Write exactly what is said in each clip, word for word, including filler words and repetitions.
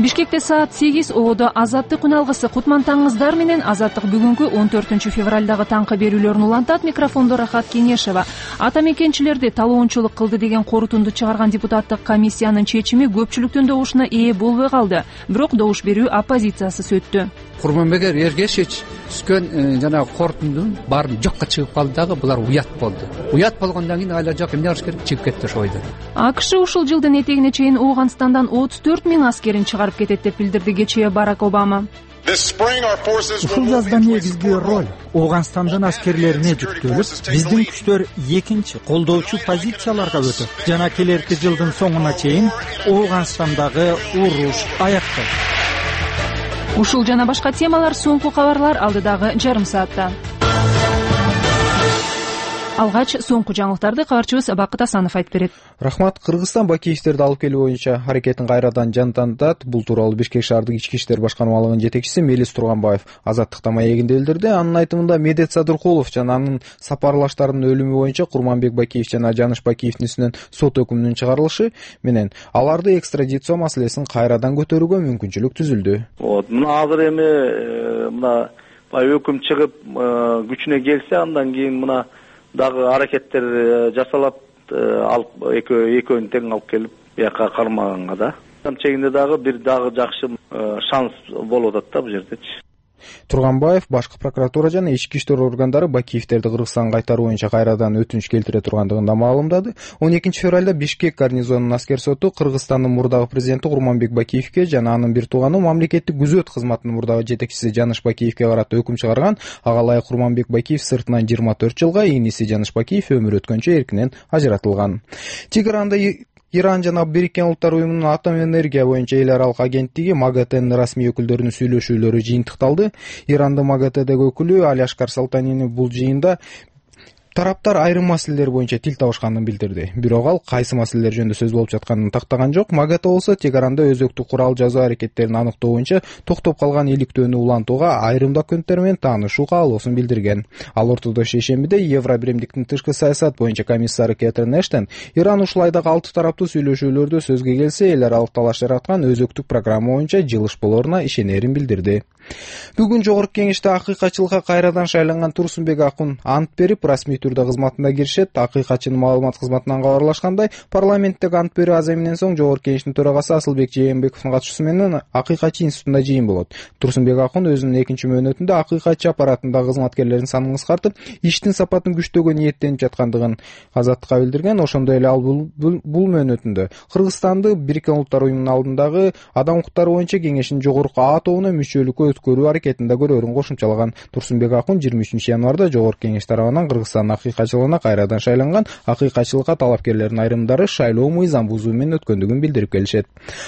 Бишкекте саат сегиз ободо Азаттык күн алгысы Кутман таңыңыздар менен Азаттык бүгүнкү он төртүнчү февралдагы таңкы берүүлөрүн улантат. Микрофондо Рахат Кеңешева. Ата мекенчилерди талоончулук кылды деген корутунду чыгарган депутаттык комиссиянын чечими көпчүлүктүн добушуна ээ болбой калды. Бирок добуш берүү оппозициясыз өттү. Курманбек Эргешевич түскөн жана корутундун баарын жокко чыгып калды дагы булар уят болду. Уят болгондон кийин айла жок эмне кылыш керек, чыгып кетти ошо бойдо. АКШ ушул жылдын этегине чейин Ооганстандан отуз төрт миң аскерин чыгарып кетет деп билдирди кечээ Барак Обама. Ушул жазда негизги роль Ооганстандын аскерлерине жүктөлүп, биздин күчтөр экинчи колдоочу позицияларга өтөт жана келерки жылдын соңуна чейин Ооганстандагы уруш аякталат. Ушул жана башка темалар соңку кабарлар алдыдагы жарым саатта. Алгач соңку жаңылыктарды кабарчыбыз Бакыт Асанов айтып берет. Рахмат. Кыргызстан Бакиевтерди алып келүү боюнча аракетин кайрадан жандандырат. Бул тууралуу Бишкек шаардык ички иштер башкармалыгынын жетекчиси Мелис Турганбаев Азаттыкта маегинде билдирди. Анын айтымында Медет Садыркулов жана анын сапарлаштарынын өлүмү боюнча Курманбек Бакиев жана Жаныш Бакиевдин үстүнөн сот өкүмүнүн чыгарылышы менен аларды экстрадиция маселесин кайрадан көтөрүүгө мүмкүнчүлүк түзүлдү. Вот мына азыр эми мына өкүм чыгып күчүнө келсе, андан кийин мына дагы аракеттер жасалат, алып экөөнү тең алып келип бияка кармаганга да. Чегинде дагы бир дагы жакшы шанс болуп атат да бул жердечи. Турганбаев башкы прокуратура жана ички иштер органдары Бакиевтерди Кыргызстанга кайтаруу боюнча кайрадан өтүнүч келтире тургандыгын да маалымдады. он экинчи февралда Бишкек гарнизонунун аскер соту Кыргызстандын мурдагы президенти Курманбек Бакиевке жана анын бир тууганы мамлекеттик күзөт кызматынын мурдагы жетекчиси Жаныш Бакиевке карата өкүм чыгарган. Ага ылайык Курманбек Бакиев сыртынан жыйырма төрт жылга, иниси Жаныш Бакиев өмүр өткөнчө эркинен ажыратылган. Тегеранда Иран жана Бириккен Улуттар уюмунун атом энергия боюнча эл аралык агенттиги МАГАТЭнин расмий өкүлдөрүнүн сүйлөшүүлөрү жыйынтыкталды. Ирандын МАГАТЭдеги өкүлү Алишкар Салтанини бул жыйында тараптар айрым маселелер боюнча тил табышканын билдирди. Бирок ал кайсы маселелер жөнүндө сөз болуп жатканын тактаган жок. МАГАТЭ болсо Тегеранда өзөктүк курал жазуу аракеттерин аныктоо боюнча токтоп калган иликтөөнү улантууга, айрым документтер менен таанышуу каалоосун билдирген. Ал ортодо шейшембиде Евробиримдиктин тышкы саясат боюнча комиссары Кэтрин Эштон Иран ушул айдагы алты тараптуу сүйлөшүүлөрдө сөзгө келсе, эл аралык талаш жараткан өзөктүк программа боюнча жылыш болоруна ишенерин билдирди. Бүгүн жогорку кеңеште акыйкатчылыкка кайрадан шайланган Турсунбек Акун ант берип, расмий түрдө кызматына киришет. Акыйкатчынын маалымат кызматынан кабарлашкандай, парламенттеги ант берүү аземинен соң жогорку кеңештин төрагасы Асылбек Жээнбековдун катышуусу менен акыйкатчы институтунда жыйын болот. Турсунбек Акун өзүнүн экинчи мөөнөтүндө акыйкатчы аппаратындагы кызматкерлердин санын кыскартып, иштин сапатын күчтөөгө ниеттенип жаткандыгын Азаттыкка билдирген. Ошондой эле ал бул, бул, бул мөөнөтүндө Кыргызстанды Бириккен Улуттар уюмунун алдындагы адам укуктары боюнча кеңештин жогорку А тобуна мүчөлүккө өткөрүү аракетинде көрөөрүн кошумчалаган. Турсунбек Акун жыйырма үчүнчү январда жогорку кеңеш тарабынан Кыргызстандын акыйкатчылыгына кайрадан шайланган. Акыйкатчылыкка талапкерлердин айрымдары шайлоо мыйзам бузуу менен өткөндүгүн билдирип келишет.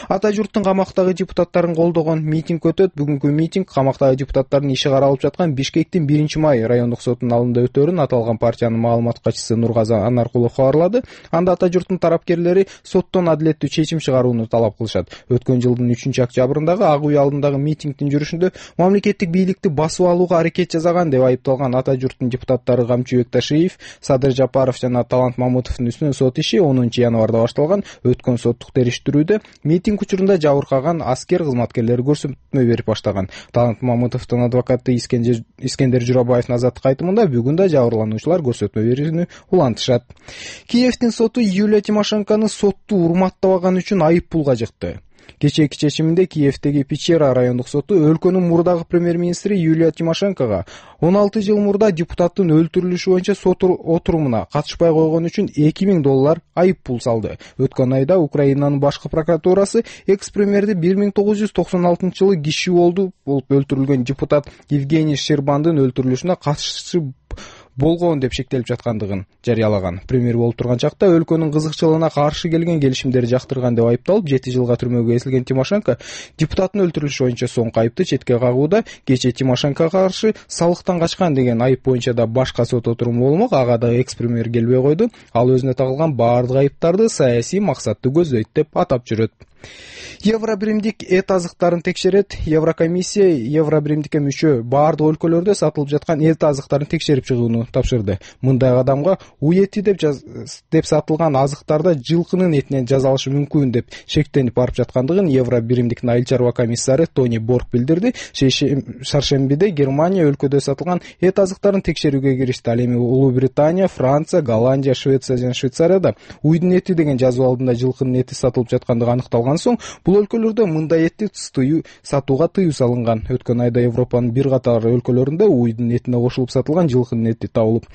Ата журттун камактагы депутаттарын колдогон митинг өтөт. Бүгүнкү митинг камактагы депутаттардын иши каралып жаткан Бишкектин биринчи май райондук сотунун алдында өтөөрүн аталган партиянын маалымат катчысы Нургазы Анаркулов кабарлады. Анда ата журттун тарапкерлери соттон адилеттүү чечим чыгарууну талап кылышат. Өткөн жылдын үчүнчү октябрындагы Ак үй алдындагы митингдин жүрүшүндө мамлекеттик бийликти басып алууга аракет жасаган деп айыпталган ата журттун депутаттары Камчыбек Ташиев, Садыр Жапаров жана Талант Мамутовдун үстүнөн сот иши онунчу январда башталган. Өткөн соттук териштирүүдө митинг учурунда жабыркаган аскер кызматкерлери көрсөтмө берип баштаган. Талант Мамутовдун адвокаты Искендер, Искендер Журабаевдин Азаттыкка айтымында бүгүн да жабырлануучулар көрсөтмө берүүнү улантышат. Киевдин соту Юлия Тимошенкону сотту урматтабаганы үчүн айып пулга жыкты. Кечээки чечиминде Киевдеги Печера райондук соту өлкөнүн мурдагы премьер-министри Юлия Тимошенкога он алты жыл мурда депутаттын өлтүрүлүшү боюнча сот отурумуна катышпай койгон үчүн эки миң доллар айып пул салды. Өткөн айда Украинанын башкы прокуратурасы экс-премьерди бир миң тогуз жүз токсон алтынчы жылы киши болду болуп өлтүрүлгөн депутат Евгений Щербандын өлтүрүлүшүнө катышчы болгон деп шектелип жаткандыгын жарыялаган. Премьер болуп турган чакта өлкөнүн кызыкчылыгына каршы келген келишимдерди жактырган деп айыпталып, жети жылга түрмөгө кесилген Тимошенко депутаттын өлтүрүлүшү боюнча соңку айыпты четке кагууда. Кечээ Тимошенкого каршы салыктан качкан деген айып боюнча да башка сот отуруму болмок. Ага да экс-премьер келбей койду. Ал өзүнө тагылган баардык айыптарды саясий максатты көздөйт деп атап жүрөт. Евробиримдик эт азыктарын текшерет. Еврокомиссия Евробиримдикке мүчө баардык өлкөлөрдө сатылып жаткан эт азыктарын текшерип чыгууну тапшырууну тапшырды. Мындай кадамга уй эти деп деп сатылган азыктарда жылкынын этинен жасалышы мүмкүн деп шектенип барып жаткандыгын Евро биримдиктин айыл чарба комиссары Тони Борг билдирди. Шаршембиде Германия өлкөдө сатылган эт азыктарын текшерүүгө киришти. Ал эми Улуу Британия, Франция, Голландия, Швеция жана Швейцарияда уйдун эти деген жазуу алдында жылкынын эти сатылып жаткандыгы аныкталган соң бул өлкөлөрдө мындай этти сатууга тыюу салынган. Өткөн айда Европанын бир катар өлкөлөрүндө уйдун этине кошулуп сатылган жылкынын эти табылып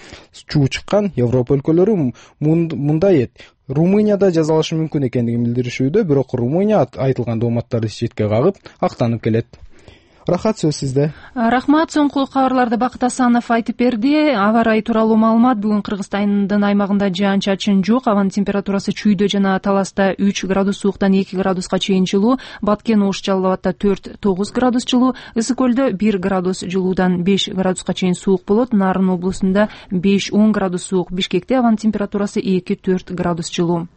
чуу чыккан. Европа өлкөлөрү мындай эт Румынияда жасалышы мүмкүн экендигин билдиришүүдө, бирок Румыния айтылган дооматтарды четке кагып актанып келет. Рахат, сөз сизде. Рахмат. Соңку кабарларды Бакыт Асанов айтып берди. Аба ырайы тууралуу маалымат. Бүгүн Кыргызстандын аймагында жаан чачын жок. Абанын температурасы Чүйдө жана Таласта үч градус сууктан эки градуска чейин жылуу. Баткен, Ош, Жалал Абадта төрт тогуз градус жылуу. Ысык көлдө бир градус жылуудан беш градуска чейин суук болот. Нарын облусунда беш он градус суук. Бишкекте абанын температурасы эки төрт градус жылуу.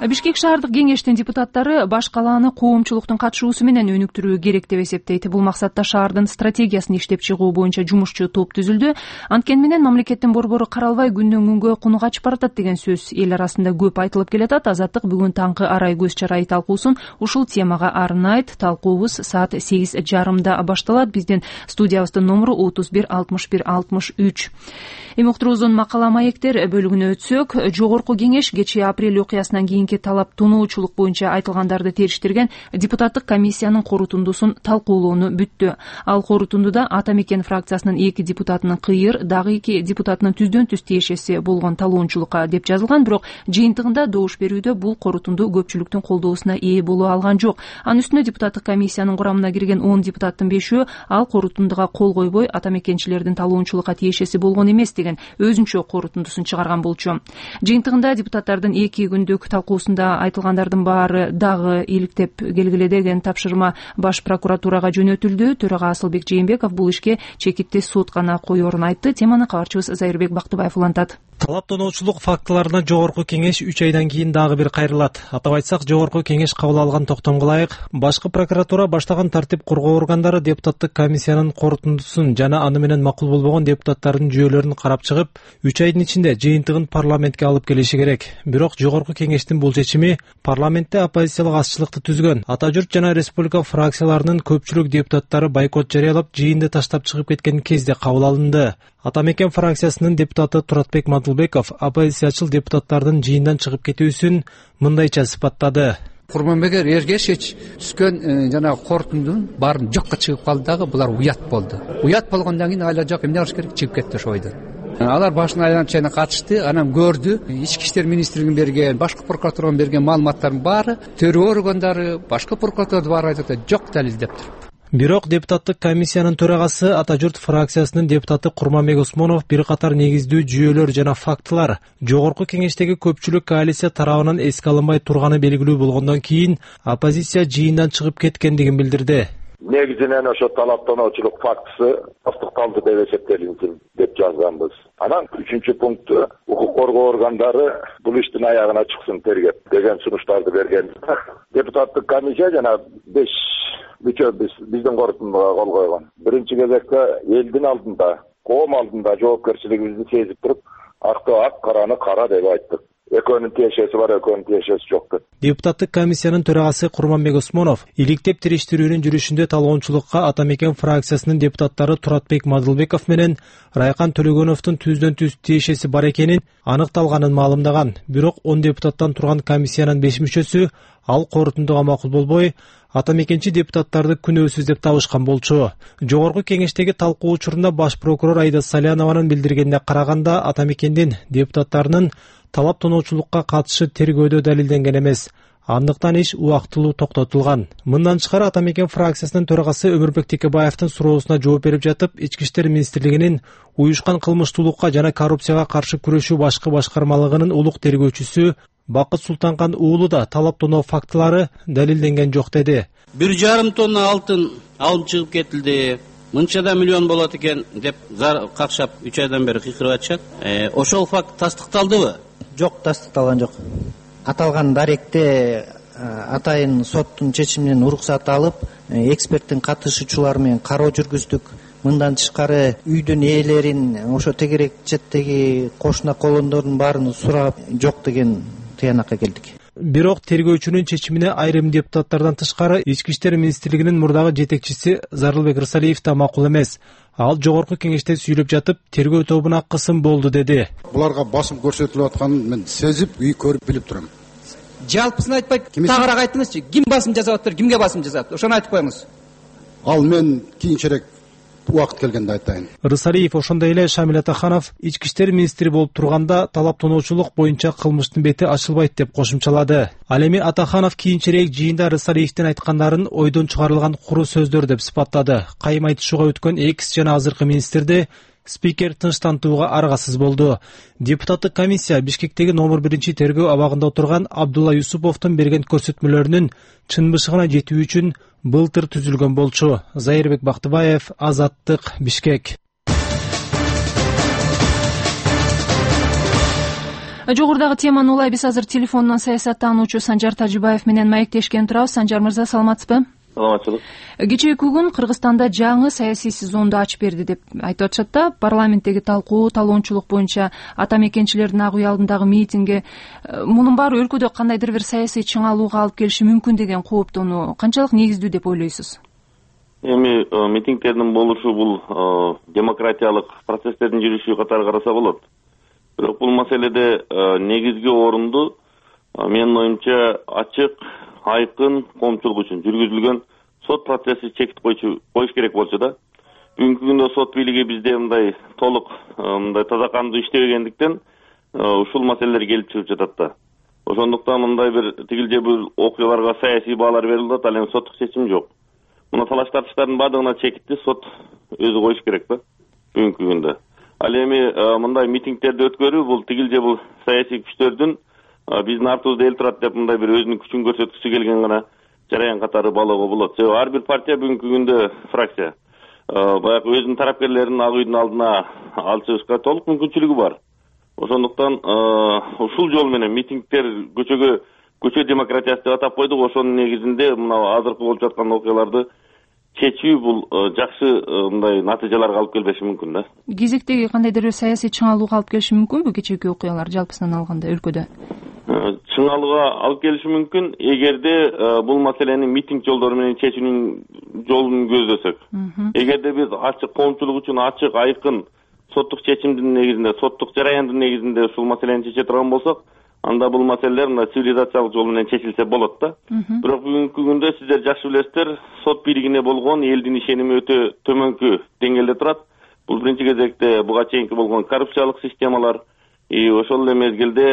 Бишкек шаардык кеңештин депутаттары баш калааны коомчулуктун катышуусу менен өнүктүрүү керек деп эсептейт. Бул максатта шаардын стратегиясын иштеп чыгуу боюнча жумушчу топ түзүлдү. Анткени менен мамлекеттин борбору каралбай күндөн күнгө куну качып баратат деген сөз эл арасында көп айтылып келатат. Азаттык бүгүн таңкы арай көз чарайы талкуусун ушул темага арнайт. Талкуубуз саат сегиз жарымда башталат. Биздин студиябыздын номуру отуз бир алтымыш бир алтымыш үч. Эми уктуруубуздун макала маектер бөлүгүнө өтсөк, жогорку кеңеш кечээ апрель окуясынан кийинки талап тоноочулук боюнча айтылгандарды териштирген депутаттык комиссиянын корутундусун талкуулоону бүттү. Ал корутундуда Ата Мекен фракциясынын эки депутатынын кыйыр, дагы эки депутатынын түздөн түз тиешеси болгон талоончулукка деп жазылган, бирок жыйынтыгында добуш берүүдө бул корутунду көпчүлүктүн колдоосуна ээ боло алган жок. Анын үстүнө депутаттык комиссиянын курамына кирген он депутаттын бешөө ал корутундуга кол койбой Ата Мекенчилердин талоончулукка тиешеси болгон эмес деген өзүнчө корутундусун чыгарган болчу. Жыйынтыгында депутаттардын эки күндүк талкуусунда айтылгандардын баары дагы иликтеп келгиле деген тапшырма баш прокуратурага жөнөтүлдү. Төрага Асылбек Жээнбеков бул ишке чекитти сот гана коерун айтты. Теманы кабарчыбыз Зайырбек Бактыбаев улантат. Талап тоноочулук фактыларына жогорку кеңеш үч айдан кийин дагы бир кайрылат. Атап айтсак, жогорку кеңеш кабыл алган токтомго ылайык башкы прокуратура баштаган тартип коргоо органдары депутаттык комиссиянын корутундусун жана аны менен макул болбогон депутаттардын жүйөлөрүн карап чыгып, үч айдын ичинде жыйынтыгын парламентке алып келиши керек. Бирок жогорку кеңештин бул чечими парламентте оппозициялык азчылыкты түзгөн Ата журт жана республика фракцияларынын көпчүлүк депутаттары бойкот жарыялап, жыйынды таштап чыгып кеткен кезде кабыл алынды. Ата Мекен фракциясынын депутаты Туратбек Мадылбеков оппозициячыл депутаттардын жыйындан чыгып кетүүсүн мындайча сыпаттады. Курманбек Эргешевич түшкөн жана корутундун баарын жокко чыгып калды дагы, булар уят болду. Уят болгондон кийин айла жок, эмне кылыш керек, чыгып кетти ошо бойдон. Алар башына айланып чайына катышты, анан көрдү, ички иштер министрлигинин берген, башкы прокуратуранын берген маалыматтардын баары, төрөө органдары, башкы прокуратура баары айтат, жок далил деп туруп. Бирок депутаттык комиссиянын төрагасы Ата журт фракциясынын депутаты Курманбек Усмонов бир катар негиздүү жүйөлөр жана фактылар жогорку кеңештеги көпчүлүк коалиция тарабынан эске алынбай турганы белгилүү болгондон кийин оппозиция жыйындан чыгып кеткендигин билдирди. Негизинен ошо талап тоноочулук фактысы тастыкталды деп эсептелинсин деп жазганбыз. Анан үчүнчү пункту укук коргоо органдары бул иштин аягына чыксын тергеп деген сунуштарды берген. Депутаттык комиссия жана беш мүчө биз биздин корутундуга кол койгон. Биринчи кезекте элдин алдында, коом алдында жоопкерчилигибизди сезип туруп, акты ак, караны кара деп айттык. Экөөнүн тиешеси бар, экөөнүн тиешеси жок деп. Депутаттык комиссиянын төрагасы Курманбек Усмонов иликтеп териштирүүнүн жүрүшүндө талоончулукка Ата Мекен фракциясынын депутаттары Туратбек Мадылбеков менен Райкан Төлөгөновдун түздөн түз тиешеси бар экенин аныкталганын маалымдаган. Бирок он депутаттан турган комиссиянын беш мүчөсү ал корутундуга макул болбой, Ата Мекенчи депутаттарды күнөөсүз деп табышкан болчу. Жогорку кеңештеги талкуу учурунда баш прокурор Айда Салянованын билдиргенине караганда, Ата Мекендин депутаттарынын талап тоноочулукка катышы тергөөдө далилденген эмес. Андыктан иш убактылуу токтотулган. Мындан тышкары Ата Мекен фракциясынын төрагасы Өмүрбек Текебаевдин суроосуна жооп берип жатып, Ички иштер министрлигинин уюшкан кылмыштуулукка жана коррупцияга каршы күрөшүү башкы башкармалыгынын улук тергөөчүсү Бакыт Султанкан уулу да талап тоноо фактылары далилденген жок деди. Бир жарым тонна алтын алып чыгып кетилди. Мынчада миллион болот экен деп какшап үч айдан бери кыйкырып атышат. Ошол факт тастыкталдыбы? Жок, тастыкталган жок. Аталган даректе атайын соттун чечиминен уруксат алып эксперттин катышуучулары менен кароо жүргүздүк. Мындан тышкары үйдүн ээлерин, ошо тегерек четтеги кошуна колондордун баарын сурап жок деген тыянакка келдик. Бирок тергөөчүнүн чечимине айрым депутаттардан тышкары Ички иштер министрлигинин мурдагы жетекчиси Зарылбек Рысалиев да макул эмес. Ал жогорку кеңеште сүйлөп жатып, тергөө тобуна кысым болду деди. Буларга басым көрсөтүлүп атканын мен сезип, үй көрүп билип турам. Жалпысын айтпай, тагыраак айтыңызчы. Ким басым жасап атыр, кимге басым жасап атыр? Ошону айтып коюңуз. Ал мен кийинчерээк убакыт келгенде айтайын. Рысалиев ошондой эле Шамил Атаханов Ички иштер министри болуп турганда талаптоочулук боюнча кылмыштын бети ачылбайт деп кошумчалады. Ал эми Атаханов кийинчерээк жыйында Рысалиевдин айткандарын ойдон чыгарылган куру сөздөр деп сыпаттады. Кайым айтышууга өткөн экс жана азыркы министрди спикер тынчтантууга аргасыз болду. Депутаттык комиссия Бишкектеги номер биринчи тергөө абагында отурган Абдулла Юсуповдун берген көрсөтмөлөрүнүн чын бышыгына жетүү үчүн былтыр түзүлгөн болчу. Зайырбек Бактыбаев, Азаттык, Бишкек. Жогорудагы теманы улай биз азыр телефондон саясаттануучу Санжар Тажибаев менен маектешкен турабыз. Санжар мырза, саламатсызбы? Саламатчылык. Кечээки күн Кыргызстанда жаңы саясий сезонду ачып берди деп айтып атышат да. Парламенттеги талкуу, талоончулук боюнча ата мекенчилердин ак үй алдындагы митинги, мунун баары өлкөдө кандайдыр бир саясий чыңалууга алып келиши мүмкүн деген кооптонуу канчалык негиздүү деп ойлойсуз? Эми митингдердин болушу бул демократиялык процесстердин жүрүшү катары караса болот. Бирок бул маселеде негизги орунду менин оюмча ачык, айкын коомчулук үчүн жүргүзүлгөн сот процесси чекит койчу коюш керек болчу да. Бүгүнкү күндө сот бийлиги бизде мындай толук мындай таза кандуу иштебегендиктен ушул маселелер келип чыгып жатат да. Ошондуктан мындай бир тигилже бир окуяларга саясий баалар берилип атат, ал эми соттук чечим жок. Мына талаш тартыштардын баардыгына чекитти сот өзү коюш керек да бүгүнкү күндө. Ал эми мындай митингдерди өткөрүү бул тигилже бул саясий күчтөрдүн биздин артыбызда эл турат деп мындай бир өзүнүн күчүн көрсөткүсү келген гана жараян катары баалоого болот. Себеби ар бир партия бүгүнкү күндө фракция баягы өзүнүн тарапкерлерин ак үйдүн алдына алып чыгышка толук мүмкүнчүлүгү бар. Ошондуктан ушул жол менен митингдер көчөгө көчө демократиясы деп атап койдук. Ошонун негизинде мына азыркы болуп жаткан окуяларды чечүү бул жакшы мындай натыйжаларга алып келбеши мүмкүн да. Кезектеги кандайдыр бир саясий чыңалууга алып келиши мүмкүнбү кечээки окуялар жалпысынан алганда өлкөдө? Чыңалууга алып келиши мүмкүн эгерде бул маселени митинг жолдору менен чечүүнүн жолун көздөсөк. Эгерде биз ачык коомчулук үчүн ачык, айкын соттук чечимдин негизинде, соттук жараяндын негизинде ушул маселени чече турган болсок, анда бул маселелер мына цивилизациялык жол менен чечилсе болот да. Бирок бүгүнкү күндө сиздер жакшы билесиздер, сот бийлигине болгон элдин ишеними өтө төмөнкү деңгээлде турат. Бул биринчи кезекте буга чейинки болгон коррупциялык системалар, и ошол эле мезгилде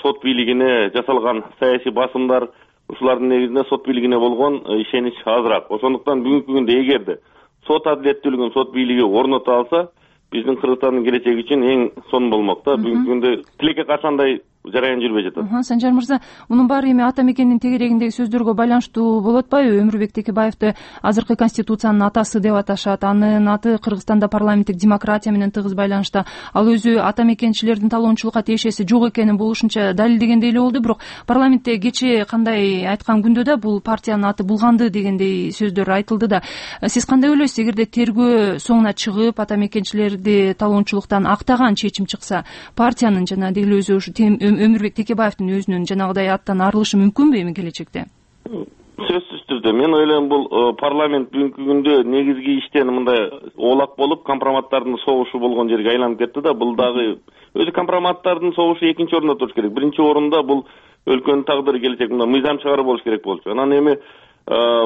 сот бийлигине жасалган саясий басымдар, ушулардын негизинде сот бийлигине болгон ишенич азыраак. Ошондуктан бүгүнкү күндө эгерде сот адилеттүүлүгүн сот бийлиги орното алса, биздин Кыргызстандын келечеги үчүн эң сонун болмок да. Бүгүнкү күндө тилекке каршы андай жараян жүрбөй жатат. Санжар мырза, мунун баары эми ата мекендин тегерегиндеги сөздөргө байланыштуу болуп атпайбы? Өмүрбек Текебаевди азыркы конституциянын атасы деп аташат. Анын аты Кыргызстанда парламенттик демократия менен тыгыз байланышта. Ал өзү ата мекенчилердин талоончулукка тиешеси жок экенин бул ушунча далилдегендей эле болду. Бирок парламентте кечээ кандай айткан күндө да бул партиянын аты булганды дегендей сөздөр айтылды да. Сиз кандай ойлойсуз? Эгерде тергөө соңуна чыгып ата мекенчилерди талоончулуктан актаган чечим чыкса, партиянын жана деле өзү ушу Өмүрбек Текебаевдин өзүнүн жанагыдай аттан арылышы мүмкүнбү эми келечекте? Сөзсүз түрдө мен ойлойм бул парламент бүгүнкү күндө негизги иштен мындай оолак болуп компроматтардын согушу болгон жерге айланып кетти да. Бул дагы өзү компроматтардын согушу экинчи орунда туруш керек. Биринчи орунда бул өлкөнүн тагдыры келечек мындай мыйзам чыгаруу болуш керек болчу. Анан эми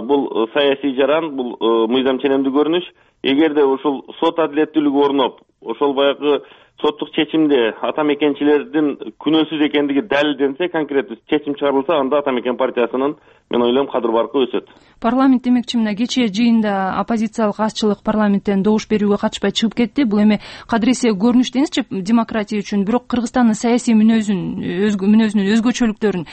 бул саясий жаран, бул мыйзам ченемдүү көрүнүш. Эгерде ушул сот адилеттүүлүгү орноп, ошол баягы соттук чечимде ата мекенчилердин күнөөсүз экендиги далилденсе, конкреттүү чечим чыгарылса, анда ата мекен партиясынын мен ойлойм кадыр баркы өсөт. Парламент демекчи мына кечээ жыйында оппозициялык азчылык парламенттен добуш берүүгө катышпай чыгып кетти. Бул эми кадыресе көрүнүш деңизчи демократия үчүн. Бирок Кыргызстандын саясий мүнөзүн, мүнөзүнүн өзгөчөлүктөрүн,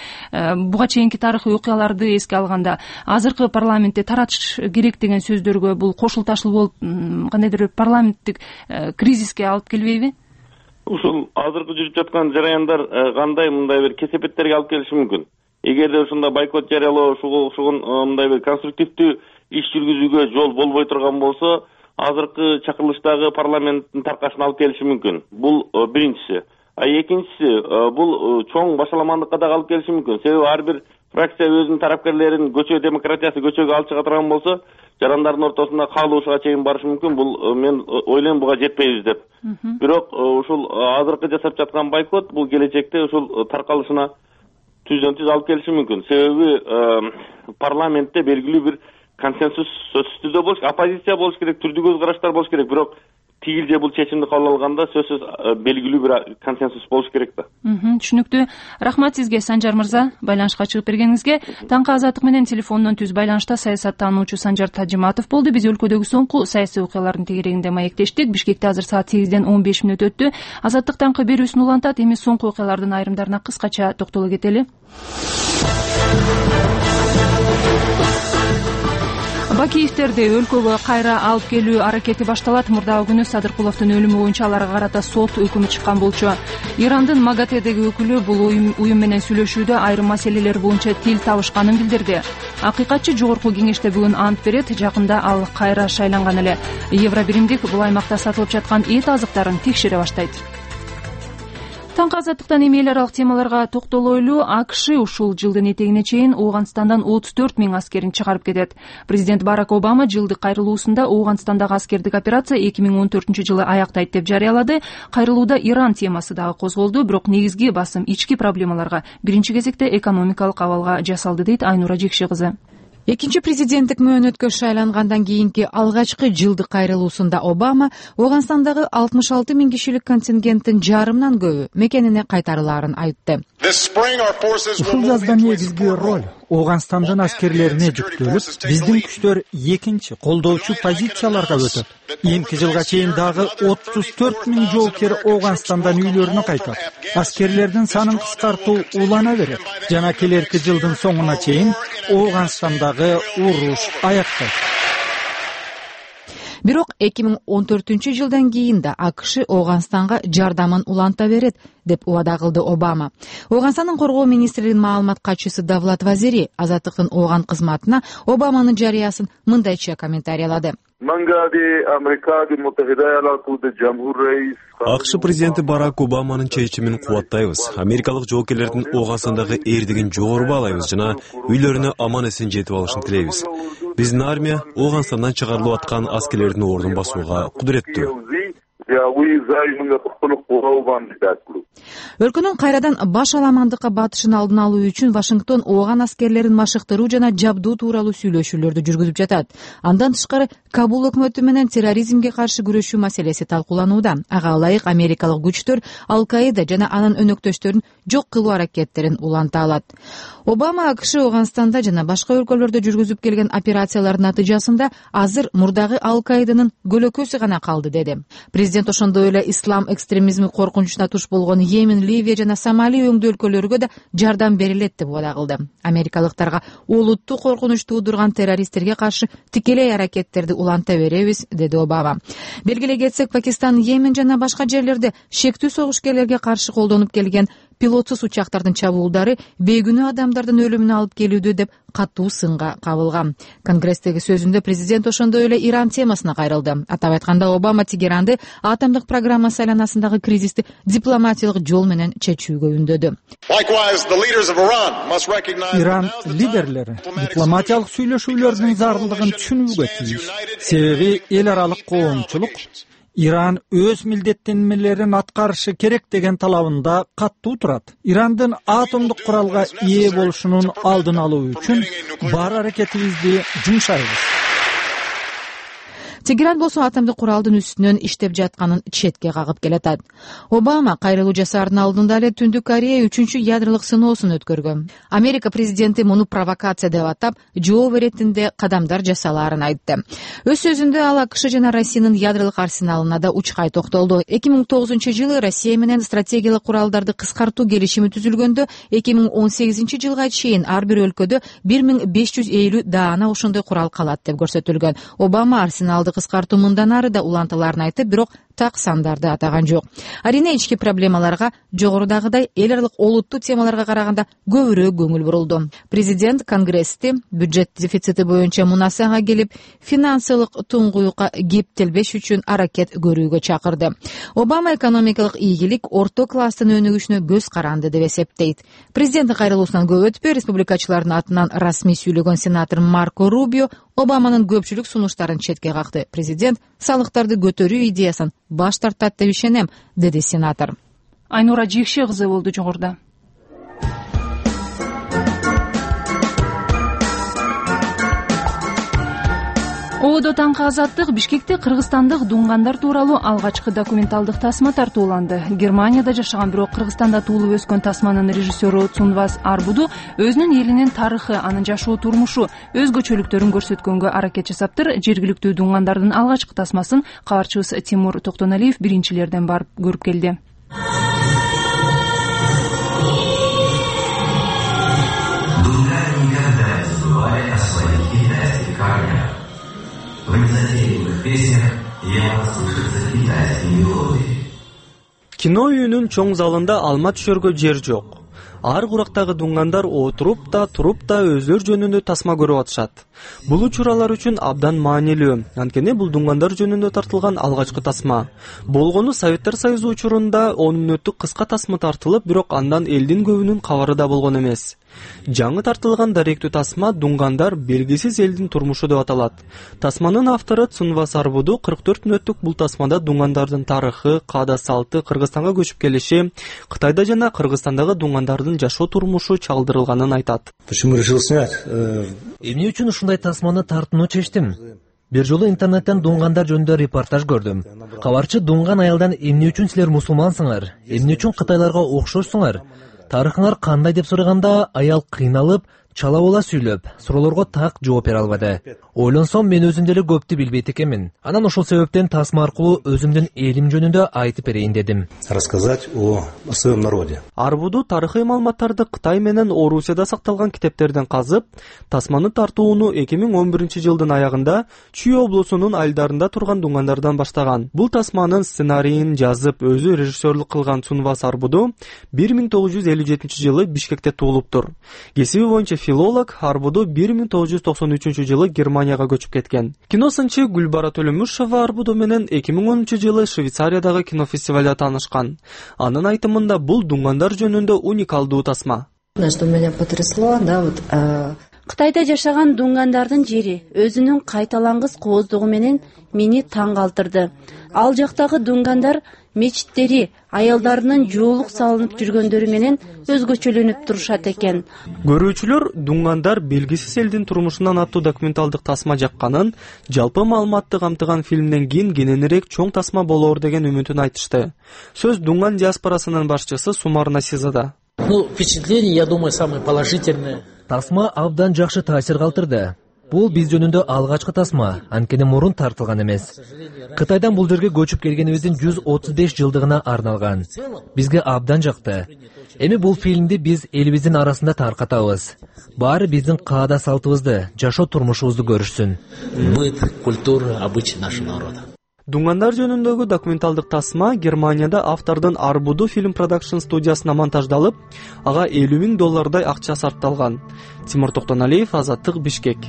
буга чейинки тарыхый окуяларды эске алганда, азыркы парламентте таратыш керек деген сөздөргө бул кошулташыл болуп, кандайдыр бир парламенттик кризиске алып келбейби? Ушул азыркы жүрүп жаткан жараяндар кандай мындай бир кесепеттерге алып келиши мүмкүн. эгерде ушундай бойкот жарыялоо ушугун мындай бир конструктивдүү иш жүргүзүүгө жол болбой турган болсо азыркы чакырылыштагы парламенттин таркашына алып келиши мүмкүн. Бул биринчиси. А экинчиси бул чоң башаламандыкка дагы алып келиши мүмкүн. Себеби ар бир фракция өзүнүн тарапкерлерин көчө демократиясы көчөгө алып чыга турган болсо, жарандардын ортосунда каалоошуга чейин барышы мүмкүн. Бул мен ойлойм буга жетпейбиз деп. Бирок ушул азыркы жасап жаткан бойкот бул келечекте ушул таркалышына түздөн түз алып келиши мүмкүн. Себеби парламентте белгилүү бир консенсус сөзсүз түрдө болуш, оппозиция болуш керек, түрдүү көз караштар болуш керек. Бирок тигил же бул чечимди кабыл алганда сөзсүз белгилүү бир консенсус болуш керек да. Түшүнүктүү. Рахмат сизге, Санжар мырза, байланышка чыгып бергениңизге. Таңкы азаттык менен телефондон түз байланышта саясаттануучу Санжар Тажиматов болду. Биз өлкөдөгү соңку саясий окуялардын тегерегинде маектештик. Бишкекте азыр саат сегизден он беш мүнөт өттү. Азаттык таңкы берүүсүн улантат. Эми соңку окуялардын айрымдарына кыскача токтоло кетели. Бакиевтерди өлкөгө кайра алып келүү аракети башталат. Мурдагы күнү Садыркуловдун өлүмү боюнча аларга карата сот өкүмү чыккан болчу. Ирандын МАГАТЭдеги өкүлү бул уюм менен сүйлөшүүдө айрым маселелер боюнча тил табышканын билдирди. Акыйкатчы жогорку кеңеште бүгүн ант берет. Жакында ал кайра шайланган эле. Евробиримдик бул аймакта сатылып жаткан эт азыктарын текшере баштайт. Таңкы азаттыктан эми эл аралык темаларга токтолойлу. АКШ ушул жылдын этегине чейин Ооганстандан отуз төрт миң аскерин чыгарып кетет. Президент Барак Обама жылдык кайрылуусунда Ооганстандагы аскердик операция эки миң он төртүнчү жылы аяктайт деп жарыялады. Кайрылууда Иран темасы дагы козголду, бирок негизги басым ички проблемаларга, биринчи кезекте экономикалык абалга жасалды, дейт Айнура Жекши кызы. Экинчи президенттик мөөнөткө шайлангандан кийинки алгачкы жылдык кайрылуусунда Обама Ооганстандагы алтымыш алты миң кишилик контингенттин жарымынан көбү мекенине кайтарылаарын айтты. Ушул жазда негизги роль Ооганстандын аскерлерине жүктөлүп, биздин күчтөр экинчи колдоочу позицияларга өтөт. Эмки жылга чейин дагы отуз төрт миң жоокер Ооганстандан үйлөрүнө кайтат. Аскерлердин санын кыскартуу улана берет жана келерки жылдын соңуна чейин Ооганстандагы уруш аяктайт. Бирок эки миң он төртүнчү жылдан кийин да АКШ Ооганстанга жардамын уланта берет деп убада кылды Обама. Ооганстандын коргоо министринин маалымат катчысы Давлат Вазири азаттыктын Ооган кызматына Обаманын жарыясын мындайча комментариялады. АКШ президенти Барак Обаманын чечимин кубаттайбыз. Америкалык жоокерлердин Ооганстандагы эрдигин жогору баалайбыз жана үйлөрүнө аман эсен жетип алышын тилейбиз. Биздин армия Ооганстандан чыгарылып аткан аскерлердин ордун басууга кудуреттүү. Өлкөнүн кайрадан баш аламандыкка батышын алдын алуу үчүн Вашингтон Ооган аскерлерин машыктыруу жана жабдуу тууралуу сүйлөшүүлөрдү жүргүзүп жатат. Андан тышкары Кабул өкмөтү менен терроризмге каршы күрөшүү маселеси талкууланууда. Ага ылайык америкалык күчтөр Ал-Каида жана анын өнөктөштөрүн жок кылуу аракеттерин уланта алат. Обама АКШ Ооганстанда жана башка өлкөлөрдө жүргүзүп келген операциялардын натыйжасында азыр мурдагы Ал-Каиданын көлөкөсү гана калды деди. Президент ошондой эле ислам экстремизми коркунучуна туш болгон Йемен, Ливия жана Сомали өңдүү өлкөлөргө да жардам берилет деп убада кылды. Америкалыктарга олуттуу коркунуч туудурган террористтерге каршы тикелей аракеттерди уланта беребиз, деди Обама. Белгилей кетсек, Пакистан, Йемен жана башка жерлерде шектүү согушкерлерге каршы колдонуп келген пилотсуз учактардын чабуулдары бейгүнөө адамдардын өлүмүнө алып келүүдө деп катуу сынга кабылган. Конгресстеги сөзүндө президент ошондой эле Иран темасына кайрылды. Атап айтканда, Обама Тегеранды атомдук программасы айланасындагы кризисти дипломатиялык жол менен чечүүгө үндөдү. Иран лидерлери дипломатиялык сүйлөшүүлөрдүн зарылдыгын түшүнүүгө тийиш. Себеби эл аралык коомчулук Иран өз милдеттенмелерин аткарышы керек деген талабында каттуу турат. Ирандын атомдук куралга ээ болушунун алдын алуу үчүн бар аракетибизди жумшайбыз. Тегеран болсо атомдук куралдын үстүнөн иштеп жатканын четке кагып келатат. Обама кайрылуу жасаардын алдында эле Түндүк Корея үчүнчү ядролук сыноосун өткөргөн. Америка президенти муну провокация деп атап, жооп беретинде кадамдар жасалаарын айтты. Өз сөзүндө ал АКШ жана Россиянын ядролук арсеналына да учкай токтолду. эки миң тогузунчу жылы Россия менен стратегиялык куралдарды кыскартуу келишими түзүлгөндө, эки миң он сегизинчи жылга чейин ар бир өлкөдө бир миң беш жүз элүү даана ошондой курал калат деп көрсөтүлгөн. Обама арсеналды кыскартуу мындан ары да улантыларын айтып, бирок так сандарды атаган жок. Арийне ички проблемаларга жогорудагыдай эл аралык олуттуу темаларга караганда көбүрөөк көңүл бурулду. Президент Конгрессти бюджет дефицити боюнча мунасага келип, финансылык туңгуюкка кептелбеш үчүн аракет көрүүгө чакырды. Обама экономикалык ийгилик орто класстын өнүгүшүнө көз каранды деп эсептейт. Президенттин кайрылуусунан көп өтпөй республикачылардын атынан расмий сүйлөгөн сенатор Марко Рубио Обаманын көпчүлүк сунуштарын четке какты. Президент салыктарды көтөрүү идеясын баш тартат деп ишенем, деди сенатор. Айнура Жекше кызы болду жогоруда. Оодо таңкы азаттык Бишкекте кыргызстандык дуңгандар тууралуу алгачкы документалдык тасма тартууланды. Германияда жашаган бирок Кыргызстанда туулуп өскөн тасманын режиссеру Цунвас Арбуду өзүнүн элинин тарыхы, анын жашоо турмушу, өзгөчөлүктөрүн көрсөткөнгө аракет жасаптыр. Жергиликтүү дуңгандардын алгачкы тасмасын кабарчыбыз Тимур Токтоналиев биринчилерден барып көрүп келди. В незатейливых песнях явно слышатся китайские мелодии. Кино үйүнүн чоң залында алма түшөргө жер жок. Ар курактагы дуңгандар отуруп да, туруп да өздөрү жөнүндө тасма көрүп атышат. Бул учур алар үчүн абдан маанилүү. Анткени бул дуңгандар жөнүндө тартылган алгачкы тасма. Болгону Советтер Союзу учурунда он мүнөттүк кыска тасма тартылып, бирок андан элдин көбүнүн кабары да болгон эмес. Жаңы тартылган даректүү тасма дуңгандар белгисиз элдин турмушу деп аталат. Тасманын автору Цунвас Арбуду кырк төрт мүнөттүк бул тасмада дуңгандардын тарыхы, каада салты, Кыргызстанга көчүп келиши, Кытайда жана Кыргызстандагы дуңгандардын жашоо турмушу чалдырылганын айтат. Почему решил снять? Эмне үчүн ушундай тасманы тартууну чечтим? Бир жолу интернеттен дуңгандар жөнүндө репортаж көрдүм. Кабарчы дуңган аялдан эмне үчүн силер мусулмансыңар? Эмне үчүн Кытайларга окшошсуңар? Тарыхыңар кандай деп сураганда аял кыйналып, чала бола сүйлөп, суроолорго так жооп бере албады. Ойлонсом мен өзүм деле көптү билбейт экенмин. Анан ошол себептен тасма аркылуу өзүмдүн элим жөнүндө айтып берейин дедим. Рассказать о своем народе. Арбуду тарыхый маалыматтарды Кытай менен Орусияда сакталган китептерден казып, тасманы тартууну эки миң он биринчи жылдын аягында Чүй облусунун айылдарында турган дуңгандардан баштаган. Бул тасманын сценарийин жазып, өзү режиссерлук кылган Цунвас Арбуду бир миң тогуз жүз элүү жетинчи жылы Бишкекте туулуптур. Кесиби боюнча филолог, Арбуду бир миң тогуз жүз токсон үчүнчү жылы Германияга көчүп кеткен. Киносынчы Гүлбара Төлөмүшова Арбуду менен эки миң онунчу жылы Швейцариядагы кинофестивалда таанышкан. Анын айтымында бул дуңгандар жөнүндө уникалдуу тасма. Что меня потрясло, да, вот Кытайда жашаган дуңгандардын жери өзүнүн кайталангыс кооздугу менен мени таң калтырды. Ал жактагы дуңгандар мечиттери аялдарынын жоолук салынып жүргөндөрү менен өзгөчөлөнүп турушат экен. Көрүүчүлөр дуңгандар белгисиз элдин турмушунан аттуу документалдык тасма жакканын, жалпы маалыматты камтыган фильмден кийин кененирээк чоң тасма болоор деген үмүтүн айтышты. Сөз дуңган диаспорасынын башчысы Сумар Насизада. Ну, впечатление, я думаю, самое положительное. Тасма абдан жакшы таасир калтырды. Бул биз жөнүндө алгачкы тасма, анткени мурун тартылган эмес. Кытайдан бул жерге көчүп келгенибиздин жүз отуз беш жылдыгына арналган. Бизге абдан жакты. Эми бул фильмди биз элибиздин арасында таркатабыз. Баары биздин каада салтыбызды, жашоо турмушубузду көрүшсүн. Быт, культура, обычаи нашего народа. Дуңгандар жөнүндөгү документалдык тасма Германияда автордун Арбуду фильм продакшн студиясына монтаждалып, ага элүү миң доллардай акча сарпталган. Тимур Токтоналиев, Азаттык, Бишкек.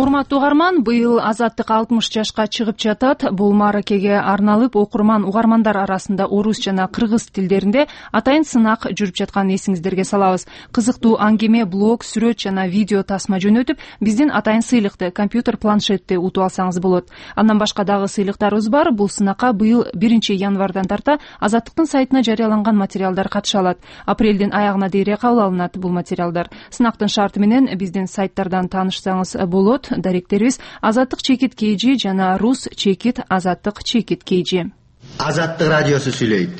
Урматтуу угарман, быйыл Азаттык алтымыш жашка чыгып жатат. Бул мааракеге арналып окурман угармандар арасында орус жана кыргыз тилдеринде атайын сынак жүрүп жатканын эсиңиздерге салабыз. Кызыктуу аңгеме, блог, сүрөт жана видео тасма жөнөтүп, биздин атайын сыйлыкты компьютер планшетти утуп алсаңыз болот. Андан башка дагы сыйлыктарыбыз бар. Бул сынакка быйыл биринчи январдан тарта Азаттыктын сайтына жарыяланган материалдар катыша алат. Апрелдин аягына дейре кабыл алынат бул материалдар. Сынактын шарты менен биздин сайттардан таанышсаңыз болот. Даректерибиз Азаттык чекит kg жана Рус чекит Азаттык чекит kg. Азаттык радиосу сүйлөйт.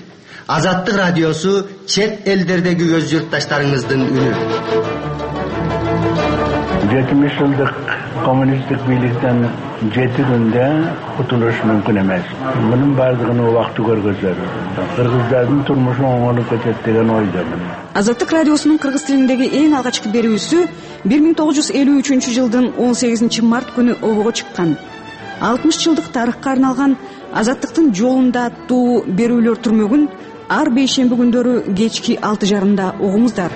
Азаттык радиосу чет элдердеги өз журтташтарыңыздын үнү. жетимиш жылдык коммунисттик бийликтен жети күндө кутулуш мүмкүн эмес. Мунун баардыгын убакыты көргөзөр. Кыргыздардын турмушу оңолуп кетет деген ойдомун. Азаттык радиосунун кыргыз тилиндеги эң алгачкы берүүсү бир миң тогуз жүз элүү үчүнчү жылдын он сегизинчи март күнү обого чыккан. алтымыш жылдык тарыхка арналган Азаттыктын жолунда аттуу берүүлөр түрмөгүн ар бейшемби күндөрү кечки алты жарымда угуңуздар.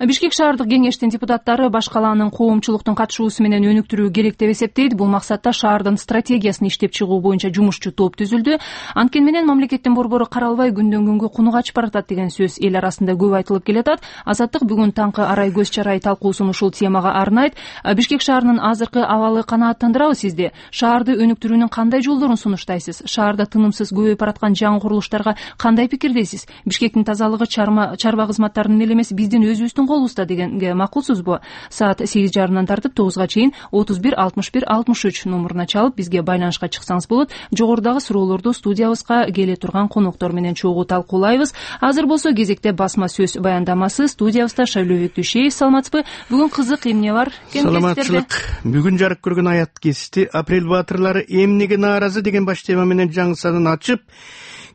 Бишкек шаардык кеңештин депутаттары баш калаанын коомчулуктун катышуусу менен өнүктүрүү керек деп эсептейт. Бул максатта шаардын стратегиясын иштеп чыгуу боюнча жумушчу топ түзүлдү. Анткени менен мамлекеттин борбору каралбай күндөн күнгө куну качып баратат деген сөз эл арасында көп айтылып келатат. Азаттык бүгүн таңкы арай көз чарай талкуусун ушул темага арнайт. Бишкек шаарынын азыркы абалы канааттандырабы сизди? Шаарды өнүктүрүүнүн кандай жолдорун сунуштайсыз? Шаарда тынымсыз көбөйүп бараткан жаңы курулуштарга кандай пикирдесиз? Бишкектин тазалыгы чарба кызматтарынын эле эмес, биздин өзүбүздүн колубузда дегенге макулсузбу? Саат сегиз жарымдан тартып тогузга чейин отуз бир алтымыш бир алтымыш үч номуруна чалып бизге байланышка чыксаңыз болот. Жогорудагы суроолорду студиябызга келе турган коноктор менен чогуу талкуулайбыз. Азыр болсо кезекте басма сөз баяндамасы. Студиябызда Шайлообек Дүйшеев. Саламатсызбы? Бүгүн кызык эмне бар? Саламатчылык. Бүгүн жарык көргөн аят кести апрель баатырлары эмнеге нааразы деген баш тема менен жаңы санын ачып,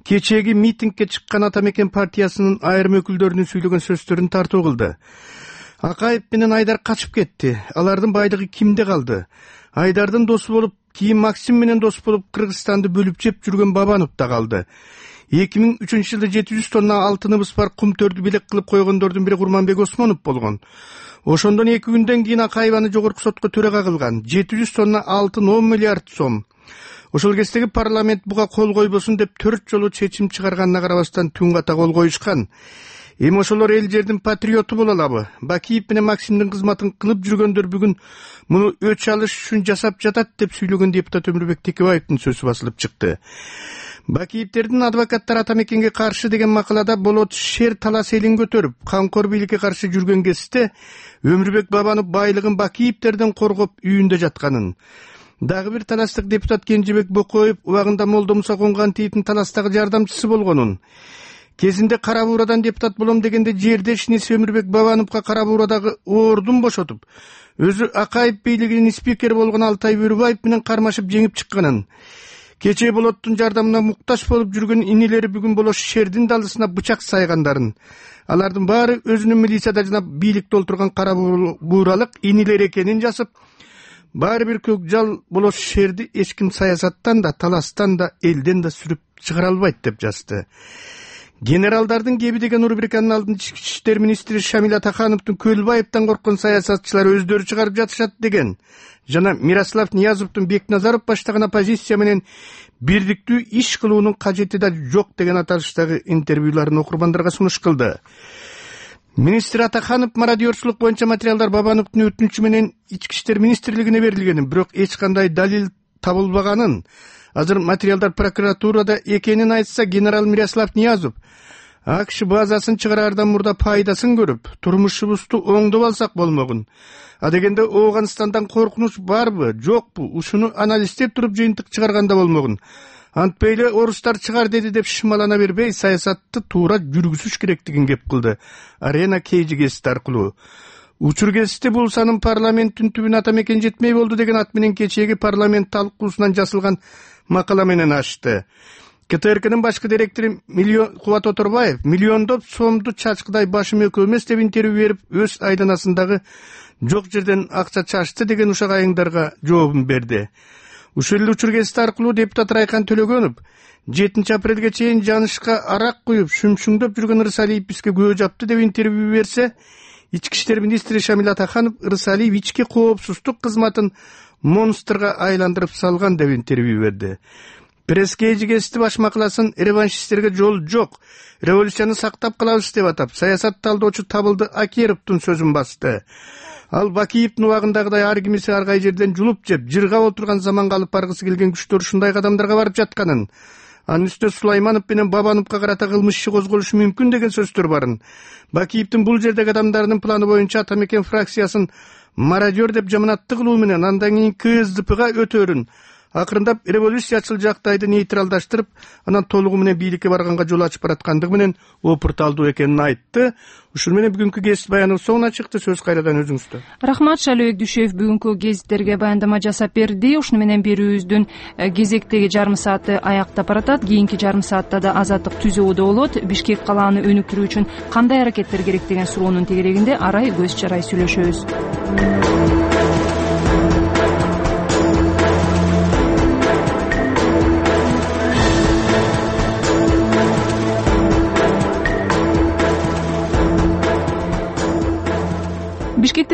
кечээги митингге чыккан Ата Мекен партиясынын айрым өкүлдөрүнүн сүйлөгөн сөздөрүн тартуу кылды. Акаев менен Айдар качып кетти. Алардын байлыгы кимде калды? Айдардын досу болуп, кийин Максим менен дос болуп Кыргызстанды бөлүп жеп жүргөн Бабанов да калды. эки миң үчүнчү жылда жети жүз тонна алтыныбыз бар кумтөрдү белек кылып койгондордун бири Курманбек Осмонов болгон. Ошондон эки күндөн кийин Акаев аны жогорку сотко төрага кылган. жети жүз тонна алтын он миллиард сом. Ошол кездеги парламент буга кол койбосун деп төрт жолу чечим чыгарганына карабастан түн ката кол коюшкан. Эми ошолор эл жердин патриоту боло алабы? Бакиев менен Максимдин кызматын кылып жүргөндөр бүгүн муну өч алыш үчүн жасап жатат деп сүйлөгөн депутат Өмүрбек Текебаевдин сөзү басылып чыкты. Бакиевтердин адвокаттары Ата Мекенге каршы деген макалада болот шер талас элин көтөрүп, камкор бийликке каршы жүргөн кезде Өмүрбек Бабанов байлыгын Бакиевтерден коргоп үйүндө жатканын, дагы бир таластык депутат Кенжебек Бокоев убагында Молдо Муса Конгантиевдин таластагы жардамчысы болгонун, кезинде Кара Буурадан депутат болом дегенде жердешиниси Өмүрбек Бабановго Кара Буурадагы ордун бошотуп, өзү Акаев бийлигинин спикери болгон Алтай Бөрүбаев менен кармашып жеңип чыкканын, кечээ болоттун жардамына муктаж болуп жүргөн инилери бүгүн болош шердин далысына бычак сайгандарын, алардын баары өзүнүн милицияда жана бийликте олтурган Кара Бууралык инилер экенин жазып, баары бир көк жал болош шерди эч ким саясаттан да, таластан да, элден да сүрүп чыгара албайт деп жазды. Генералдардын кеби деген рубриканын алдында ички иштер министри Шамил Атахановдун Көлбаевден корккон саясатчылар өздөрү чыгарып жатышат деген жана Мирослав Ниязовдун Бекназаров баштаган оппозиция менен бирдиктүү иш кылуунун кажети да жок деген аталыштагы интервьюларын окурмандарга сунуш кылды. Министр Атаханов мародерчулук боюнча материалдар Бабановдун өтүнүчү менен ички иштер министрлигине берилгенин, бирок эч кандай далил табылбаганын, азыр материалдар прокуратурада экенин айтса, генерал Мирослав Ниязов АКШ базасын чыгараардан мурда пайдасын көрүп, турмушубузду оңдоп алсак болмогун. А дегенде Ооганстандан коркунуч барбы, жокпу? Ушуну анализдеп туруп жыйынтык чыгарганда болмогун. Антпейли орустар чыгар деди деп шымалана бербей, саясатты туура жүргүзүш керектигин кеп кылды. Арена кейжи гезити аркылуу. Учур гезити бул санын парламенттин түбүнө Ата Мекен жетмей болду деген ат менен кечээги парламент талкуусунан жасалган макала менен ачты. КТРКнын башкы директору Миллион Кубат Оторбаев миллиондоп сомду чачкыдай башым экөө эмес деп интервью берип, өз айланасындагы жок жерден акча чачты деген ушак айыңдарга жообун берди. Ушул эле учур гезити аркылуу депутат Райкан Төлөгөнов жетинчи апрелге чейин жанышка арак куюп, шүмшүңдөп жүргөн Ырысалиев бизге көө жапты деп интервью берсе, ички иштер министри Шамил Атаханов Ырысалиев ички коопсуздук кызматын монстрга айландырып салган деп интервью берди. Пресс-кейжи гезити баш макаласын реваншисттерге жол жок, революцияны сактап калабыз деп атап, саясат талдоочу Табылды Акеровдун сөзүн басты. Ал Бакиевдин убагындагыдай ар кимиси ар кай жерден жулуп жеп, жыргап отурган заманга алып баргысы келген күчтөр ушундай кадамдарга барып жатканын, анын үстүнө Сулайманов менен Бабановго карата кылмыш иши козголушу мүмкүн деген сөздөр барын. Бакиевдин бул жердеги адамдарынын планы боюнча Ата Мекен фракциясын мародер деп жаманатты кылуу менен андан кийин КСДПга өтөрүн, акырындап революциячыл жактайды нейтралдаштырып, анан толугу менен бийликке барганга жол ачып бараткандыгы менен опурталдуу экенин айтты. Ушул менен бүгүнкү гезит баяныбыз соңуна чыкты. Сөз кайрадан өзүңүздө. Рахмат, Шалыбек Дүйшөев бүгүнкү гезиттерге баяндама жасап берди. Ушуну менен берүүбүздүн кезектеги жарым сааты аяктап баратат. Кийинки жарым саатта да Азаттык түзүүдө болот. Бишкек калааны өнүктүрүү үчүн кандай аракеттер керек деген суроонун тегерегинде арай көз чарай сүйлөшөбүз. Бишкекте